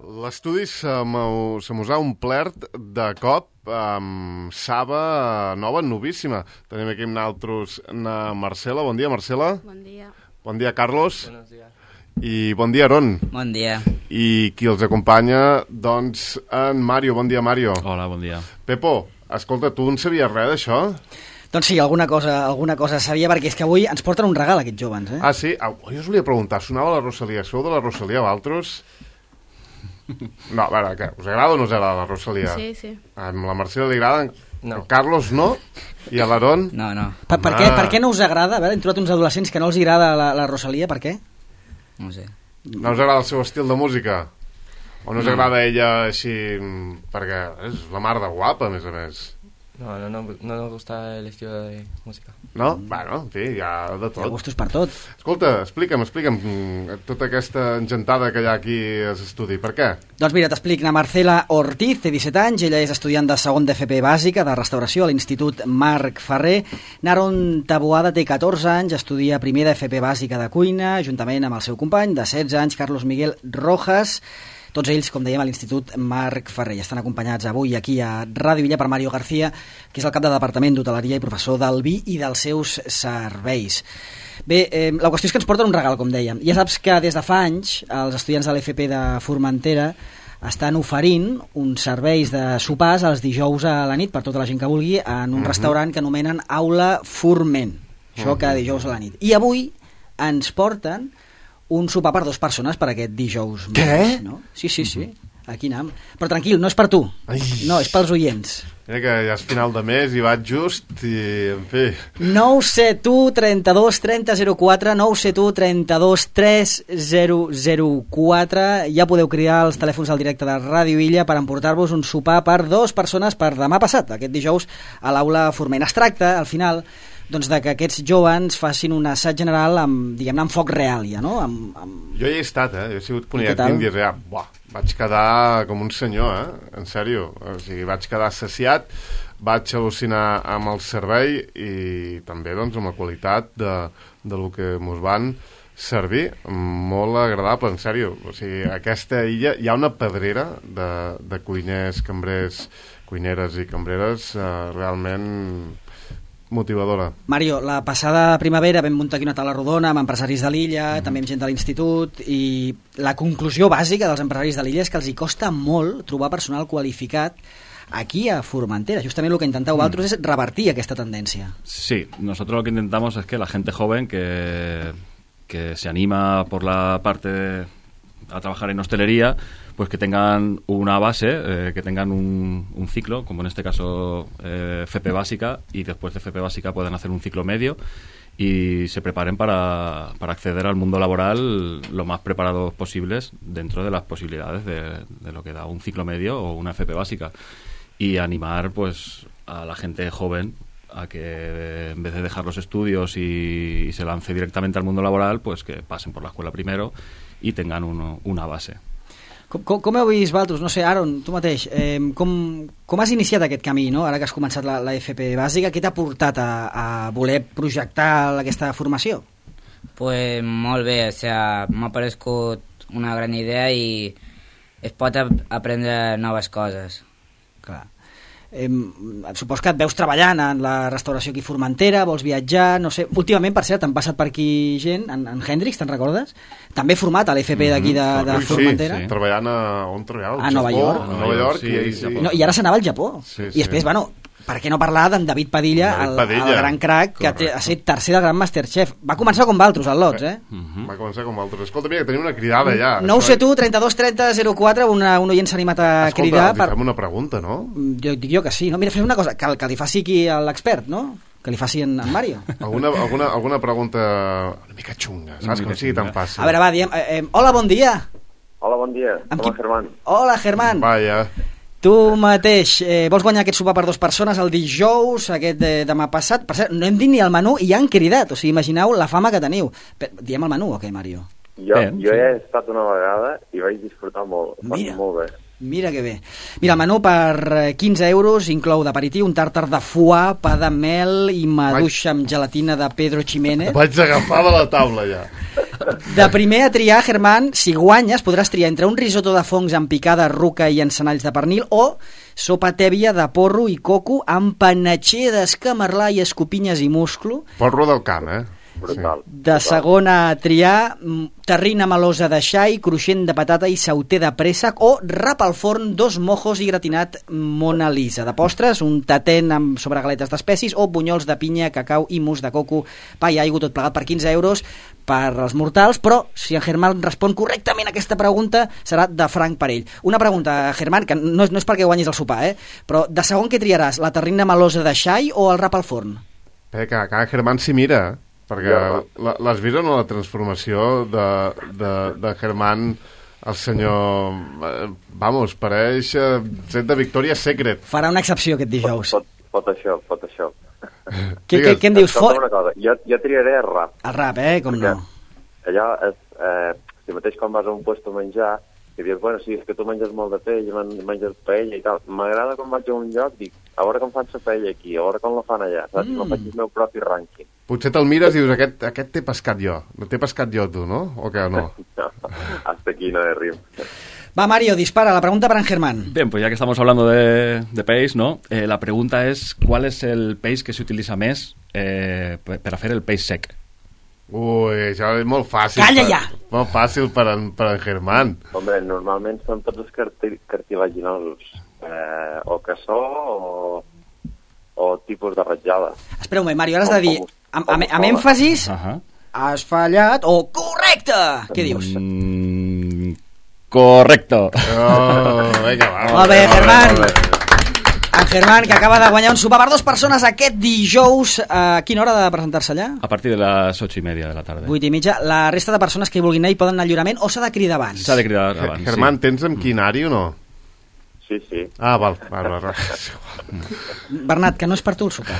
L'estudi se mos ha omplert de cop amb saba nova, novíssima. Tenim aquí amb nosaltres na Marcela. Bon dia, Marcela. Bon dia. Bon dia, Carlos. Buenos días. I bon dia, Aron. Bon dia. I qui els acompanya, doncs, en Mario. Bon dia, Mario. Hola, bon dia. Pepo, escolta, tu en sabies res d'això? Doncs sí, alguna cosa sabia, perquè és que avui ens porten un regal aquests joves, eh? Ah, sí? Jo us volia preguntar, sonava la Rosalia. Sou de la Rosalia, vosaltres? No, a veure, què? Us agrada o no us agrada la Rosalia? Sí, sí. A la Marcela li agrada, No. a Carlos no, i a l'Aron? No. Per què no us agrada? A veure, hem trobat uns adolescents que no els agrada la Rosalia, per què? No sé. No us agrada el seu estil de música? O no us agrada ella així... Perquè és la mar de guapa, a més. No nos gusta el estilo de música. No? Bueno, en fi, hi ha de Hi ha tot. gustos per tot. Escolta, explica'm tota aquesta engentada que hi ha aquí a l'estudi. Per què? Doncs mira, t'explic. La Marcela Ortiz té 17 anys, ella és estudiant de segon d'FP bàsica de restauració a l'Institut Marc Ferrer. Naron Taboada té 14 anys, estudia primer d'FP bàsica de cuina, juntament amb el seu company de 16 anys, Carlos Miguel Rojas. Tots ells, com dèiem, a l'Institut Marc Ferrer. Estan acompanyats avui aquí a Ràdio Illa per Mario García, que és el cap de Departament d'Hoteleria i professor del vi i dels seus serveis. Bé, la qüestió és que ens porten un regal, com dèiem. Ja saps que des de fa anys els estudiants de l'FP de Formentera estan oferint uns serveis de sopars els dijous a la nit per tota la gent que vulgui en un restaurant que anomenen Aula Forment. Això cada dijous a la nit. I avui ens porten un sopar per 2 persones per aquest dijous. Què? No? Sí. Aquí anem. Però tranquil, no és per tu. Ai. No, és pels oients. Mira que ja és final de mes i vaig just i, en fi... 971 32 30 04, 971 32 3004. Ja podeu cridar als telèfons al directe de Ràdio Illa per emportar-vos un sopar per 2 persones per demà passat, aquest dijous, a l'Aula Forment. Es tracta, al final, doncs, de que aquests joves facin un assaig general amb, diguem-ne, amb foc real, ja, no? Jo hi he estat, Jo he sigut I conillat què tal? d'indis, ja. Buah, vaig quedar com un senyor, En sèrio. O sigui, vaig quedar saciat, vaig al·lucinar amb el servei i també, doncs, amb la qualitat de lo que mos van servir. Molt agradable, en sèrio. O sigui, a aquesta illa hi ha una pedrera de cuiners, cambrers, cuineres i cambreres realment motivadora. Mario, la passada primavera vam muntar aquí una taula rodona amb empresaris de l'illa, també amb gent de l'institut, i la conclusió bàsica dels empresaris de l'illa és que els hi costa molt trobar personal qualificat aquí a Formentera. Justament el que intenteu vosaltres és revertir aquesta tendència. Sí, nosotros lo que intentamos es que la gente joven que se anima por la parte a trabajar en hostelería, pues que tengan una base, que tengan un ciclo, como en este caso FP básica, y después de FP básica puedan hacer un ciclo medio y se preparen para acceder al mundo laboral lo más preparados posibles dentro de las posibilidades de lo que da un ciclo medio o una FP básica, y animar pues a la gente joven a que en vez de dejar los estudios y se lance directamente al mundo laboral, pues que pasen por la escuela primero y tengan una base. Com heu vist vosaltres? No sé, Aaron, tu mateix, com has iniciat aquest camí, no? Ara que has començat la FP bàsica, què t'ha portat a voler projectar aquesta formació? Pues molt bé, o sea, m'ha parescut una gran idea i es pot aprendre noves coses. Clar. Supos que et veus treballant en la restauració aquí a Formentera, vols viatjar, no sé. Últimament, per cert, han passat per aquí gent, en Hendrix, te'n recordes? També format a l'FP d'aquí de Formentera. Sí, treballant on treballava? A Nova York. A Nova York, sí. No, i ara s'anava al Japó. Sí. I després, bueno, per què no parlar d'en David Padilla, el gran crac, que ha estat tercer del gran Masterchef. Va començar com valtros, al Lots, Va començar com altres. Escolta, mira, que tenim una cridada ja. 971 32 30 04, un oient s'ha animat a cridar. Escolta, li fem una pregunta, no? Jo dic que sí. No, mira, fem una cosa, que li faci aquí l'expert, no? Que li faci en Mario. Alguna pregunta una mica xunga, saps? Com sigui tan fàcil. A veure, va, diem... Hola, bon dia. Hola, bon dia. Hola, Germán. Hola, Germán. Vaja. Tu mateix, vols guanyar aquest sopar per 2 persones el dijous, aquest demà passat? Per cert, no hem dit ni el menú i ja han cridat, o sigui, imagineu la fama que teniu. Diem el menú o què, Mario? Jo he estat una vegada i vaig disfrutar molt. Mira. Molt bé. Mira que bé. Mira, el menú per 15 euros inclou d'aperitiu un tàrtar de foie, pa de mel i maduixa amb gelatina de Pedro Ximénez. Vaig agafar de la taula ja. De primer a triar, Germán, si guanyes podràs triar entre un risotto de fongs amb picada, ruca i encenalls de pernil o sopa tèbia de porro i coco amb panatxer d'escamarlà i escopinyes i musclo. Porro del camp, Brutal. De segona a triar, terrina melosa de xai, cruixent de patata i sauter de préssec o rap al forn, 2 mojos i gratinat Mona Lisa. De postres, un tatent amb sobregaletes d'espècies o bunyols de pinya, cacau i mousse de coco, pa i aigua, tot plegat per 15 euros per als mortals, però si en Germán respon correctament a aquesta pregunta serà de franc per ell. Una pregunta, Germán, que no és perquè guanyis el sopar, però de segon què triaràs, la terrina melosa de xai o el rap al forn? Que cada Germán s'hi mira, perquè l'has vist o no la transformació de Germán, el senyor... Vamos, pareix set de Victoria's Secret. Farà una excepció aquest dijous. Photoshop. Què em dius? Una cosa, jo triaré el rap. El rap, com no? Allò és... si mateix quan vas a un puesto a menjar, i dius, bueno, sí, és que tu menges molt de pell, menges paella i tal. M'agrada quan vaig a un lloc, dic, a veure com fan la paella aquí, a veure com la fan allà, saps? No faig el meu propi rànquing. Potser te'l mires i dius, aquest t'he pescat jo. T'he pescat jo, tu, no? O què, no? No, hasta aquí no he rim. Va, Mario, dispara, la pregunta para Germán. Bien, pues ya que estamos hablando de peix, ¿no? La pregunta es, ¿cuál es el peix que se utiliza més per a fer el peix sec? Ui, això és molt fàcil. Calla ja! Molt fàcil per en Germán. Hombre, normalment són tots els cartilaginosos. O cassó o tipus de ratjada. Espera un moment, Mario, ara has de dir amb èmfasis, has fallat o correcte! Què dius? Correcto. Vinga, va. Molt bé, Germán. En Germán, que acaba de guanyar un sopar per 2 persones aquest dijous. A quina hora de presentar-se allà? A partir de les 8:30 de la tarda. 8:30. La resta de persones que hi vulguin anar hi poden anar al lliurament o s'ha de cridar abans? S'ha de cridar abans, Germán, tens amb quinari o no? Sí. Ah, val. Bernat, que no és per tu el sopar.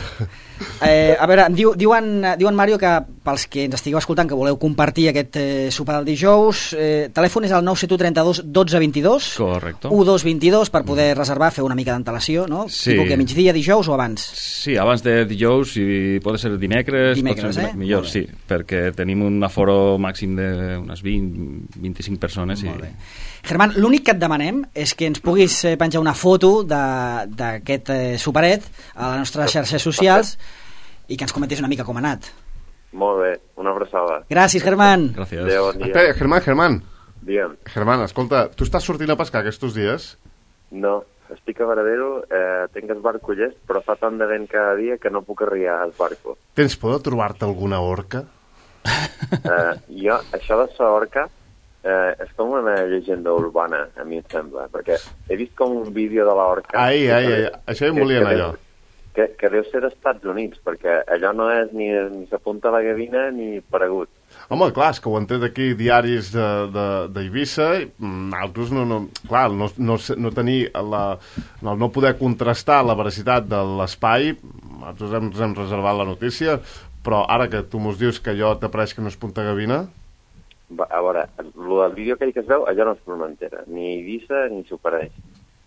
A veure, diuen Mario que pels que ens estigueu escoltant que voleu compartir aquest sopar del dijous, telèfon és el 971 32 12 22. Correcto. 1222 per poder reservar, fer una mica d'antelació, no? Sí. Tipo que migdia, dijous o abans? Sí, abans de dijous, si pot ser dimecres, pot ser millor, sí, perquè tenim un aforo màxim d'unes 20-25 persones. Molt bé. Germán, l'únic que et demanem és que ens puguis penjar una foto d'aquest superet a les nostres xarxes socials i que ens comentis una mica com ha anat. Molt bé, una abraçada. Gràcies, Germán. Gràcies. Adéu, bon dia. Espera, Germán. Digue'm. Germán, escolta, tu estàs sortint a pescar aquests dies? No, estic a Varadero, tinc el barco llest, però fa tant de vent cada dia que no puc arribar al barco. Tens por de trobar-te alguna orca? Jo, això de la orca, és com una llegenda urbana, a mi em sembla, perquè he vist com un vídeo de l'orca... Ai, això em volia anar jo. Que deu ser d'Estats Units, perquè allò no és ni s'apunta a la gavina ni paregut. Home, clar, és que ho han tret aquí diaris d'Eivissa, altres no tenir no poder contrastar la veracitat de l'espai, nosaltres ens hem reservat la notícia, però ara que tu mos dius que allò t'apareix que no és punta gavina... A veure, el vídeo aquell que es veu, allò no és Formentera, ni Eivissa ni s'ho pareix.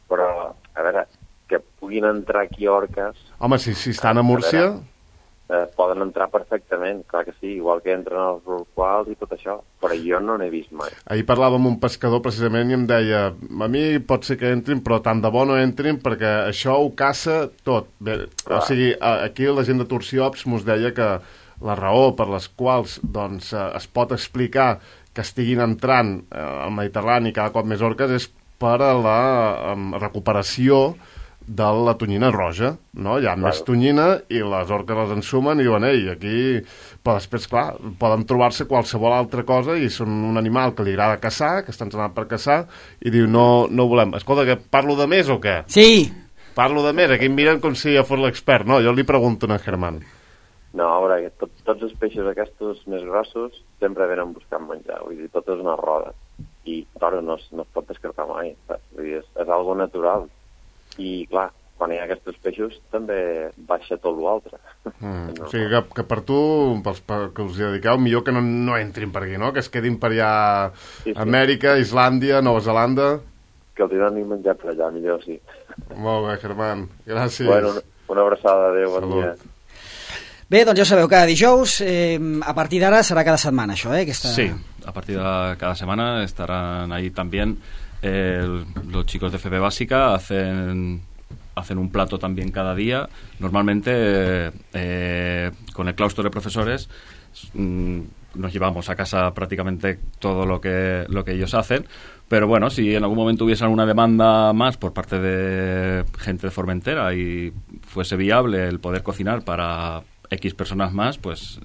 Però, a veure, que puguin entrar aquí orques... Home, si estan a Múrcia... poden entrar perfectament, clar que sí, igual que entren els rorquals i tot això, però jo no n'he vist mai. Ahir parlava amb un pescador precisament i em deia, a mi pot ser que entrin, però tant de bo no entrin perquè això ho caça tot. Bé, o sigui, aquí la gent de Turciops mos deia que la raó per les quals doncs, es pot explicar que estiguin entrant al Mediterrani cada cop més orques és per a la recuperació de la tonyina roja, no? Hi ha més tonyina i les orques les ensumen i diuen, ei, aquí... Però després, clar, poden trobar-se qualsevol altra cosa i són un animal que li agrada caçar, que estan anant per caçar, i diu, no volem. Escolta, que parlo de més o què? Sí! Parlo de més, aquí em miren com si jo fos l'expert. No, jo li pregunto a Germán. No, a veure, tots els peixos aquests més grossos sempre venen buscant menjar, vull dir, tot és una roda. I, clar, no es pot descartar mai, vull dir, és algo natural. I, clar, quan hi ha aquests peixos també baixa tot l'altre. O sigui que per tu, pels que us hi dediqueu, millor que no entrin per aquí, no? Que es quedin per allà Amèrica, Islàndia, Nova Zelanda... Que els hi donin menjar per allà, millor sí. Molt bé, Germán, gràcies. Bueno, una abraçada, adéu, bon dia. Bé, doncs ja ho sabeu, cada dijous, a partir d'ara serà cada setmana això, Aquesta... Sí, a partir de cada semana estarán ahí también los chicos de FP Básica, hacen un plato también cada día. Normalmente con el claustro de profesores nos llevamos a casa prácticamente todo lo que ellos hacen, pero bueno, si en algún momento hubiese alguna demanda más por parte de gente de Formentera y fuese viable el poder cocinar para X personas más, pues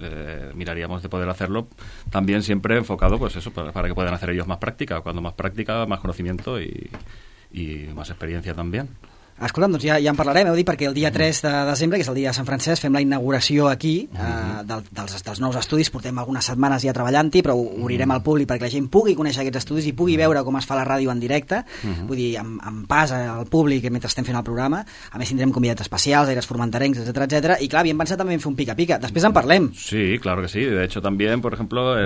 miraríamos de poder hacerlo también siempre enfocado pues eso, para que puedan hacer ellos más práctica, cuando más práctica, más conocimiento y más experiencia también. Escolta'm, doncs ja en parlarem, heu dit, perquè el dia 3 de desembre, que és el dia de Sant Francesc, fem la inauguració aquí dels nous estudis. Portem algunes setmanes ja treballant-hi, però ho obrirem al públic perquè la gent pugui conèixer aquests estudis i pugui veure com es fa la ràdio en directe, vull dir, amb pas al públic mentre estem fent el programa. A més tindrem convidats especials, aires formenterencs, etc. I clar, havíem pensat també en fer un pica-pica. Després en parlem. Sí, claro que sí. De hecho también, por ejemplo,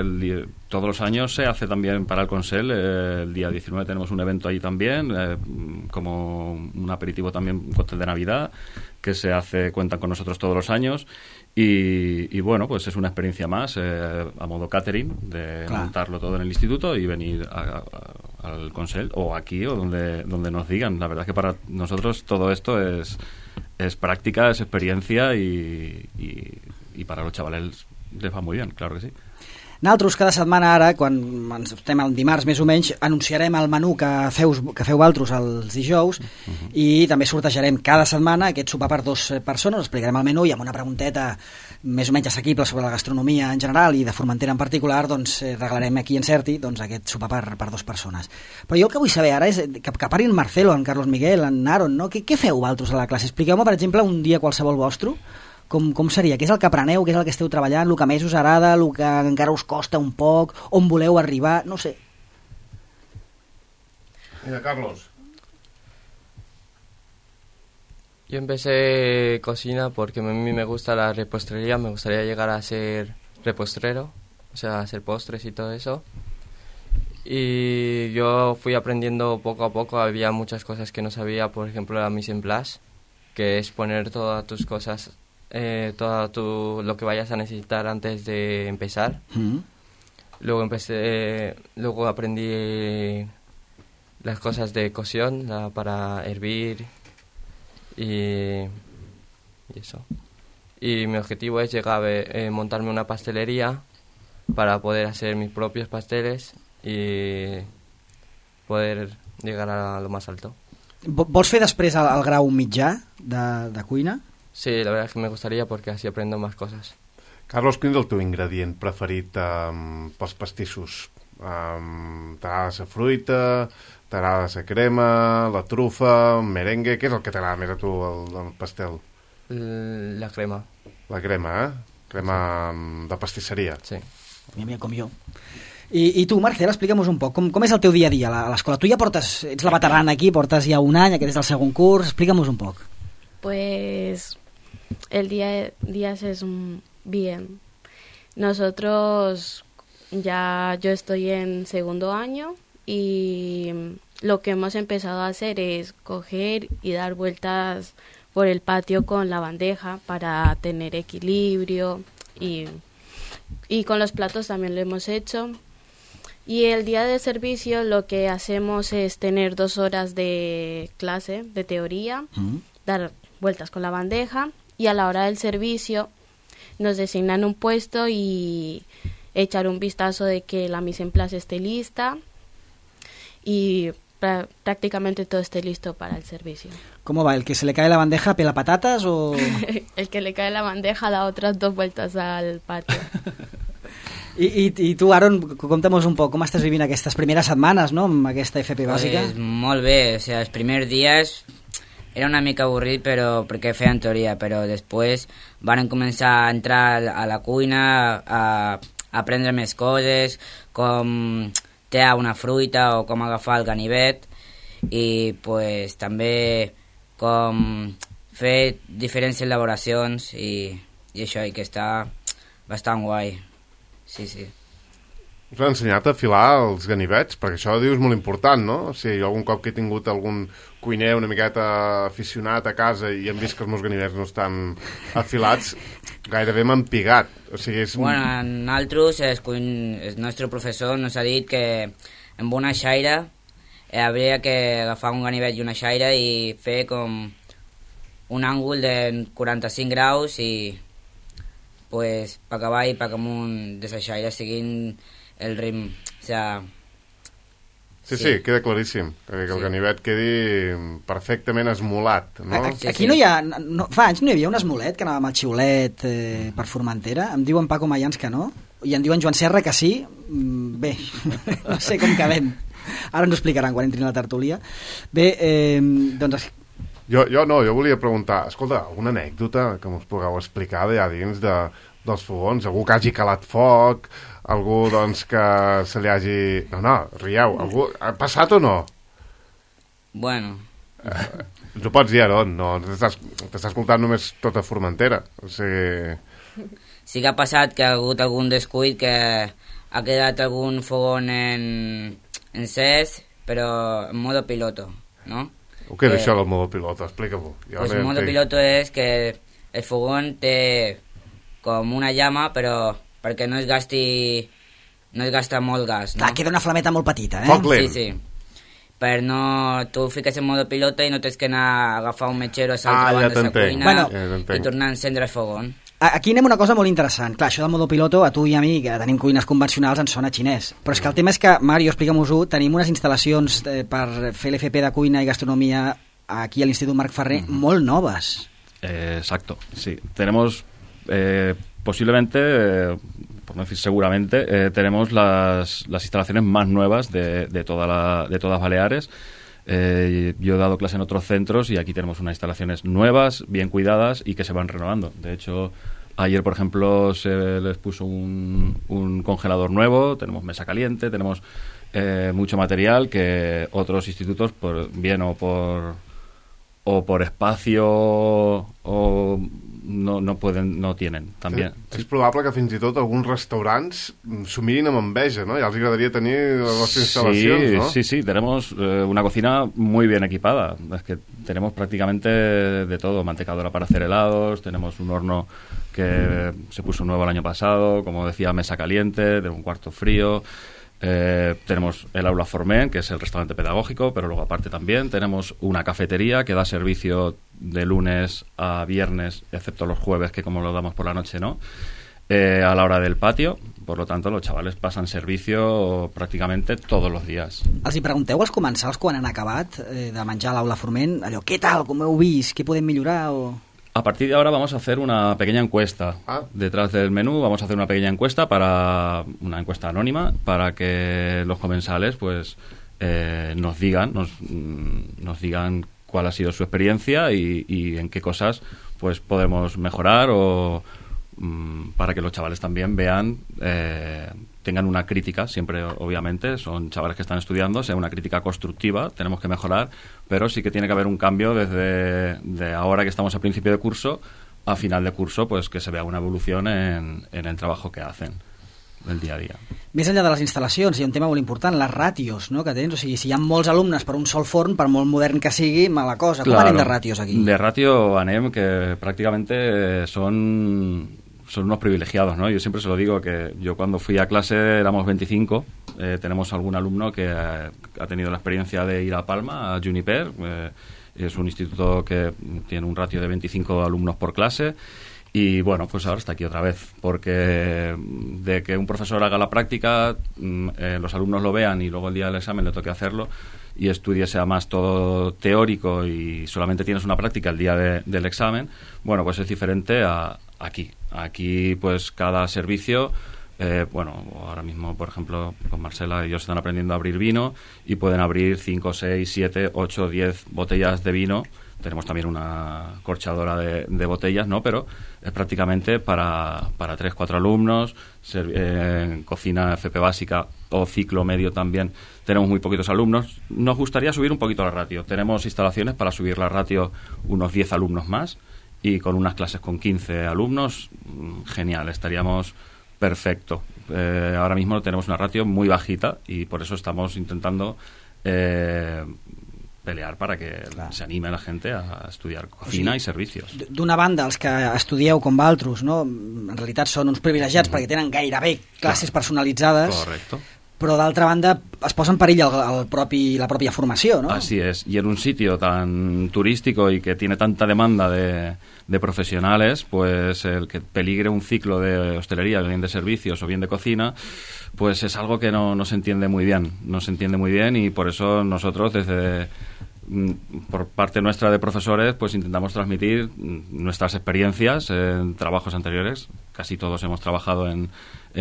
todos los años se hace también para el Consell, el día 19 tenemos un evento ahí también, como un aperitivo también, un cóctel de Navidad que se hace, cuentan con nosotros todos los años y bueno, pues es una experiencia más a modo catering de montarlo todo en el instituto y venir al Consell o aquí o donde nos digan. La verdad es que para nosotros todo esto es práctica, es experiencia y para los chavales les va muy bien, claro que sí. Nosaltres cada setmana ara, quan estem el dimarts més o menys, anunciarem el menú que feu vosaltres els dijous i també sortejarem cada setmana aquest sopar per 2 persones, explicarem el menú i amb una pregunteta més o menys assequible sobre la gastronomia en general i de Formentera en particular, doncs regalarem a qui encerti aquest sopar per 2 persones. Però jo el que vull saber ara és que parli en Marcelo, en Carlos Miguel, en Aaron, no? Què feu vosaltres a la classe? Expliqueu-me, per exemple, un dia qualsevol vostre. Com seria? Què és el que apreneu? Què és el que esteu treballant? El que més us agrada? El que encara us costa un poc? On voleu arribar? No sé. Mira, Carlos. Yo empecé cocina porque a mí me gusta la repostería, me gustaría llegar a ser repostrero, o sea, hacer postres y todo eso. Y yo fui aprendiendo poco a poco, había muchas cosas que no sabía, por ejemplo la mise en place, que es poner todas tus cosas, lo que vayas a necesitar antes de empezar. Luego aprendí las cosas de cocción para hervir y eso. Y mi objetivo es llegar a montarme una pastelería para poder hacer mis propios pasteles y poder llegar a lo más alto. Vols fer després el grau mitjà de cuina? Sí, la verdad es que me gustaría porque así aprendo más cosas. Carlos, quin és el teu ingredient preferit pels pastissos? T'agrada la fruita, t'agrada la crema, la trufa, merengue? Què és el que t'agrada més a tu, el pastel? La crema. La crema, Crema de pastisseria. Sí. Mira, com jo. I tu, Marcel, explica'm-nos un poc, com és el teu dia a dia a l'escola? Tu ja ets la veterana aquí, portes ja un any, aquest és el segon curs, explica'm-nos un poc. Pues el día es bien. Nosotros yo estoy en segundo año y lo que hemos empezado a hacer es coger y dar vueltas por el patio con la bandeja para tener equilibrio y con los platos también lo hemos hecho. Y el día de servicio lo que hacemos es tener 2 horas de clase, de teoría, dar vueltas con la bandeja y a la hora del servicio nos designan un puesto y echar un vistazo de que la mise en place esté lista y prácticamente todo esté listo para el servicio. ¿Cómo va? ¿El que se le cae la bandeja pela patatas o...? El que le cae la bandeja da otras 2 vueltas al patio. I tu, Aaron, conta'm un poc, com estàs vivint aquestes primeres setmanes, no?, amb aquesta FP bàsica? Pues molt bé, o sea, els primers dies era una mica avorrit perquè feien teoria, però després van començar a entrar a la cuina, a aprendre més coses, com tallar una fruita o com agafar el ganivet, i pues, també com fer diferents elaboracions i això, i que està bastant guai. Sí, sí. Us han ensenyat a afilar els ganivets? Perquè això dius molt important, no? O sigui, jo algun cop que he tingut algun cuiner una miqueta aficionat a casa i hem vist que els meus ganivets no estan afilats, gairebé m'empigat. O sigui, és... Bueno, nosaltres, el nostre professor nos ha dit que amb una xaira hauria que agafar un ganivet i una xaira i fer com un àngul de 45 graus i pues per acabar i per amunt de la xaira siguin el ritme, o sea... Sí, queda claríssim, que el ganivet quedi perfectament esmolat, no? Aquí no hi ha... fa anys no hi havia un esmolet que anava amb el xiulet per Formentera? Em diuen Paco Mayans que no, i em diuen Joan Serra que sí. Bé, no sé com quedem. Ara ens ho explicaran quan entrin a la tertúlia. Bé, doncs... Jo volia preguntar, escolta, alguna anècdota que us pugueu explicar d'allà dins dels fogons? Algú que hagi calat foc, algú doncs que se li hagi... No, rieu, algú ha passat o no? Bueno... Ens ho pots dir, Aron, no t'estàs escoltant només tota Formentera, o sigui... Sí que ha passat que ha hagut algun descuit, que ha quedat algun fogón encès, però en modo piloto, ¿no? Què és això del modo piloto? Explica-m'ho. Pues el modo piloto és que el fogón té com una llama, però perquè no es gasta molt gas, no? Clar, queda una flameta molt petita, eh? Foc lent. Sí. Per no... Tu fiques en modo piloto i no tens que anar a agafar un metgero a l'altra banda de la cuina i tornar a encendre el fogón. Aquí anem una cosa molt interessant. Clar, això del modo piloto, a tu i a mi, que tenim cuines convencionals, ens sona xinès. Però és que el tema és que, Mario, explica-m'ho-ho, tenim unes instal·lacions per fer l'FP de cuina i gastronomia aquí a l'Institut Marc Ferrer molt noves. Exacto, sí. Tenemos, posiblemente, por no decir seguramente, tenemos las instalaciones más nuevas de todas Baleares. Yo he dado clase en otros centros y aquí tenemos unas instalaciones nuevas, bien cuidadas y que se van renovando. De hecho, ayer, por ejemplo, se les puso un congelador nuevo, tenemos mesa caliente, tenemos mucho material que otros institutos, bien o por espacio o no pueden, no tienen también. És probable que fins i tot alguns restaurants s'ho mirin amb enveja, ¿no? Ja els agradaria tenir les vostres instal·lacions, ¿no? Sí, tenemos una cocina muy bien equipada. Es que tenemos prácticamente de todo, mantecadora para hacer helados, tenemos un horno que se puso nuevo el año pasado, como decía, mesa caliente, de un cuarto frío. Tenemos el aula Formen, que es el restaurante pedagógico, pero luego aparte también tenemos una cafetería que da servicio de lunes a viernes, excepto los jueves, que como lo damos por la noche, ¿no? A la hora del patio, por lo tanto los chavales pasan servicio prácticamente todos los días. Els hi pregunteu als comensals quan han acabat de menjar a l'aula Forment, allò, què tal, com heu vist, què podem millorar o... A partir de ahora vamos a hacer una pequeña encuesta. Detrás del menú vamos a hacer una pequeña encuesta, una encuesta anónima, para que los comensales pues nos digan cuál ha sido su experiencia y en qué cosas pues podemos mejorar o para que los chavales también vean, tengan una crítica, siempre obviamente son chavales que están estudiando, sea una crítica constructiva, tenemos que mejorar, pero sí que tiene que haber un cambio desde ahora que estamos a principio de curso a final de curso, pues que se vea una evolución en el trabajo que hacen el dia a dia. Més enllà de les instal·lacions, hi ha un tema molt important, les ràtios, no?, que tens. O sigui, si hi ha molts alumnes per un sol forn, per molt modern que sigui, mala cosa. Com anem de ràtios aquí? De ratio anem que prácticamente son unos privilegiados, ¿no? Yo siempre se lo digo, que yo cuando fui a clase éramos 25, tenemos algún alumno que ha tenido la experiencia de ir a Palma, a Juniper, es un instituto que tiene un ratio de 25 alumnos por clase. Y bueno, pues ahora está aquí otra vez, porque de que un profesor haga la práctica, los alumnos lo vean y luego el día del examen le toque hacerlo y estudie sea más todo teórico y solamente tienes una práctica el día del examen, bueno, pues es diferente a aquí. Aquí pues cada servicio, bueno, ahora mismo por ejemplo con Marcela ellos están aprendiendo a abrir vino y pueden abrir 5, 6, 7, 8, 10 botellas de vino. Tenemos también una corchadora de botellas, ¿no? Pero es prácticamente para 3, 4 alumnos. En cocina FP básica o ciclo medio también tenemos muy poquitos alumnos. Nos gustaría subir un poquito la ratio. Tenemos instalaciones para subir la ratio unos 10 alumnos más y con unas clases con 15 alumnos, genial, estaríamos perfecto. Ahora mismo tenemos una ratio muy bajita y por eso estamos intentando pelear para que se anime la gente a estudiar cocina i servicios. D'una banda, els que estudieu com vosaltres, no? En realitat són uns privilegiats perquè tenen gairebé classes personalitzades. Correcto. Però d'altra banda es posa en perill la pròpia formació, ¿no? Así es, y en un sitio tan turístico y que tiene tanta demanda de profesionales, pues el que peligre un ciclo de hostelería, bien de servicios o bien de cocina, pues es algo que no se entiende muy bien, y por eso nosotros por parte nuestra de profesores pues intentamos transmitir nuestras experiencias en trabajos anteriores. Casi todos hemos trabajado en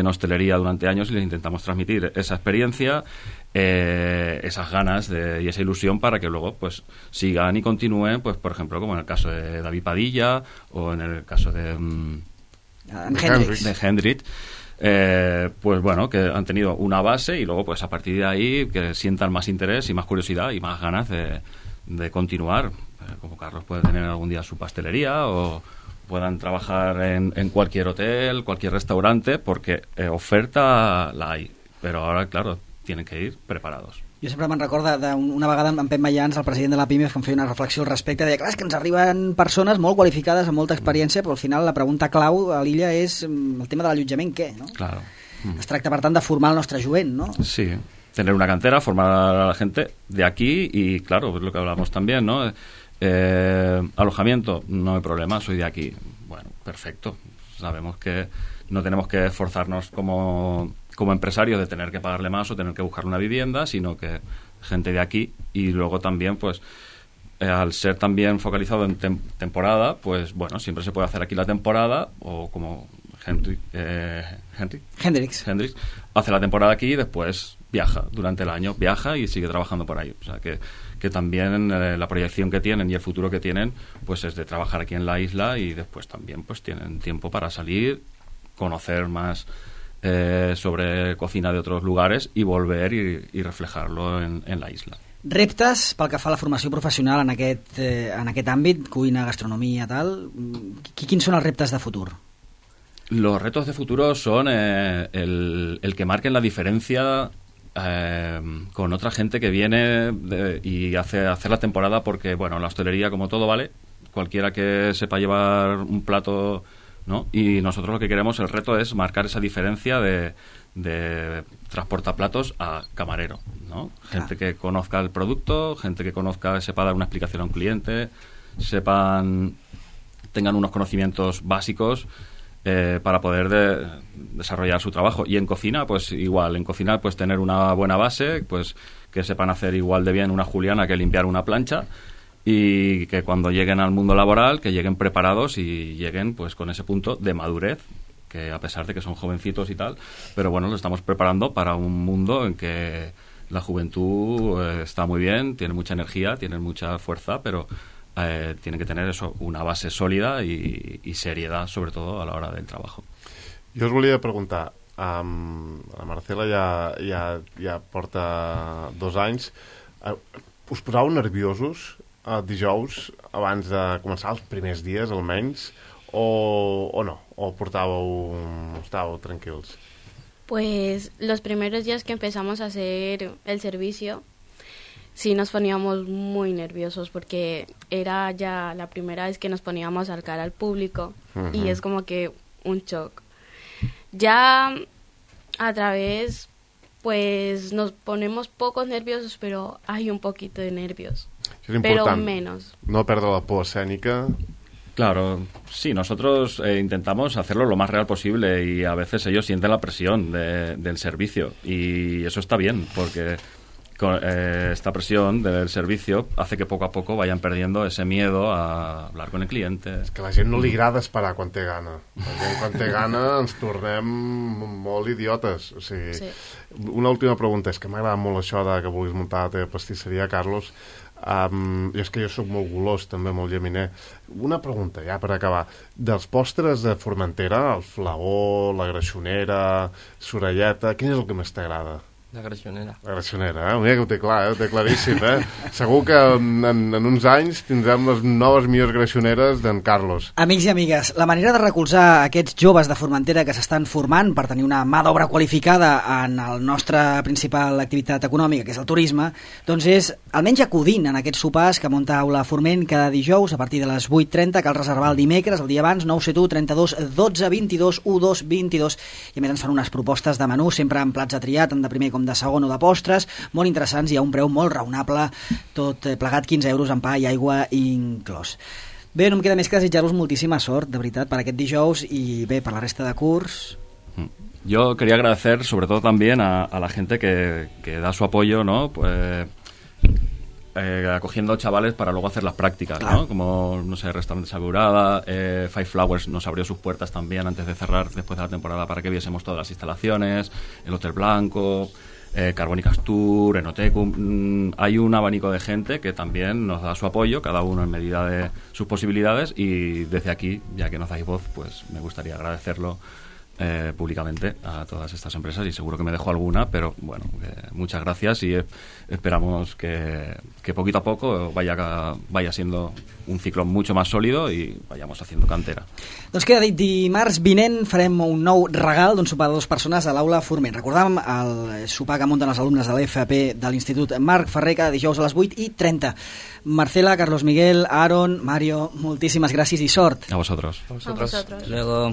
hostelería durante años y les intentamos transmitir esa experiencia, esas ganas y esa ilusión para que luego pues sigan y continúen, pues por ejemplo como en el caso de David Padilla o en el caso de Hendrix. Pues bueno, que han tenido una base y luego pues a partir de ahí que sientan más interés y más curiosidad y más ganas de continuar, como Carlos puede tener algún día su pastelería o puedan trabajar en cualquier hotel, cualquier restaurante, porque oferta la hay, pero ahora claro, tienen que ir preparados. Jo sempre me'n recordo d'una vegada amb Pep Mayans, el president de la PIME, que em feia una reflexió al respecte, deia, clar, és que ens arriben persones molt qualificades, amb molta experiència, però al final la pregunta clau a l'illa és el tema de l'allotjament, què? No? Claro. Es tracta, per tant, de formar el nostre jovent, ¿no? Sí, tener una cantera, formar a la gente de aquí y, claro, es lo que hablamos también, ¿no? Alojamiento, no hay problema, soy de aquí. Bueno, perfecto. Sabemos que no tenemos que esforzarnos como empresario de tener que pagarle más o tener que buscar una vivienda, sino que gente de aquí. Y luego también, pues, al ser también focalizado en temporada, pues, bueno, siempre se puede hacer aquí la temporada, o como Hendrix hace la temporada aquí y después viaja durante el año, viaja y sigue trabajando por ahí. O sea que también la proyección que tienen y el futuro que tienen pues es de trabajar aquí en la isla, y después también pues tienen tiempo para salir, conocer más sobre cocina de otros lugares y volver y reflejarlo en la isla. Reptes pel que fa a la formació professional en aquest àmbit, cuina, gastronomia, tal, quins són els reptes de futur? Los retos de futuro son el que marquen la diferencia con otra gente que viene y hacer la temporada, porque bueno, la hostelería, como todo, vale, cualquiera que sepa llevar un plato, ¿no? Y nosotros lo que queremos, el reto es marcar esa diferencia de transportaplatos a camarero, ¿no? Gente que conozca el producto, gente que sepa dar una explicación a un cliente, tengan unos conocimientos básicos para poder desarrollar su trabajo. Y en cocina, pues igual, en cocina pues tener una buena base, pues que sepan hacer igual de bien una juliana que limpiar una plancha, y que cuando lleguen al mundo laboral, que lleguen preparados y lleguen pues con ese punto de madurez, que a pesar de que son jovencitos y tal, pero bueno, lo estamos preparando para un mundo en que la juventud está muy bien, tiene mucha energía, tiene mucha fuerza, pero tienen que tener eso, una base sòlida i seriedad, sobre todo a l'hora del treball. Jo us volia preguntar, la Marcela ja porta 2 anys, us posàveu nerviosos dijous abans de començar, els primers dies almenys, o no? O estàveu tranquils? Pues los primeros días que empezamos a hacer el servicio, sí nos poníamos muy nerviosos porque era ya la primera vez que nos poníamos al cara al público y es como que un shock. Ya a través, pues nos ponemos pocos nerviosos, pero hay un poquito de nervios, pero menos. No perder la por escénica. Claro, sí, nosotros intentamos hacerlo lo más real posible, y a veces ellos sienten la presión del servicio, y eso está bien, porque esta presión del servicio hace que poco a poco vayan perdiendo ese miedo a hablar con el cliente. És que a la gent no li agrada esperar quan té gana. La gent quan té gana ens tornem molt idiotes. O sigui, sí. Una última pregunta, és que m'agrada molt això de que vulguis muntar la teva pastisseria, Carlos. I és que jo sóc molt golós, també molt llaminer. Una pregunta, ja per acabar. Dels postres de Formentera, el flagó, la greixonera, sorelleta, quin és el que més t'agrada? La Greixonera. La Greixonera, mira que ho té clar, ho té claríssim, Segur que en uns anys tindrem les noves millors greixoneres d'en Carlos. Amics i amigues, la manera de recolzar aquests joves de Formentera que s'estan formant per tenir una mà d'obra qualificada en el nostre principal activitat econòmica, que és el turisme, doncs és almenys acudint en aquests sopars que munta Aula Forment cada dijous a partir de les 8:30, cal reservar el dimecres, el dia abans, 971 32 12 22 12 22, i a més ens fan unes propostes de menú, sempre amb plats a triar, tant de primer com de segon o de postres, molt interessants i a un preu molt raonable, tot plegat 15 euros en pa i aigua inclòs. Bé, no em queda més que desitjar-vos moltíssima sort, de veritat, per aquest dijous i bé, per la resta de curs. Yo quería agradecer sobre todo también a la gente que da su apoyo, ¿no? Pues, acogiendo chavales para luego hacer las prácticas, claro, ¿no? Como, no sé, Restaurante Sagurada, Five Flowers nos abrió sus puertas también antes de cerrar, después de la temporada, para que viésemos todas las instalaciones, el Hotel Blanco, Carbónicas Tour, Enotecum. Hay un abanico de gente que también nos da su apoyo, cada uno en medida de sus posibilidades, y desde aquí, ya que nos dais voz, pues me gustaría agradecerlo públicamente a todas estas empresas, y seguro que me dejo alguna, pero bueno, muchas gracias, y esperamos que poquito a poco vaya siendo un ciclo mucho más sólido i vayamos haciendo cantera. Doncs queda dit, dimarts vinent farem un nou regal d'un sopar de 2 persones a l'Aula Forment. Recordàvem el sopar que munten els alumnes de l'FP de l'Institut Marc Ferrer cada dijous a les 8:30. Marcela, Carlos Miguel, Aaron, Mario, moltíssimes gràcies i sort. A vosotros. A vosotros. Luego...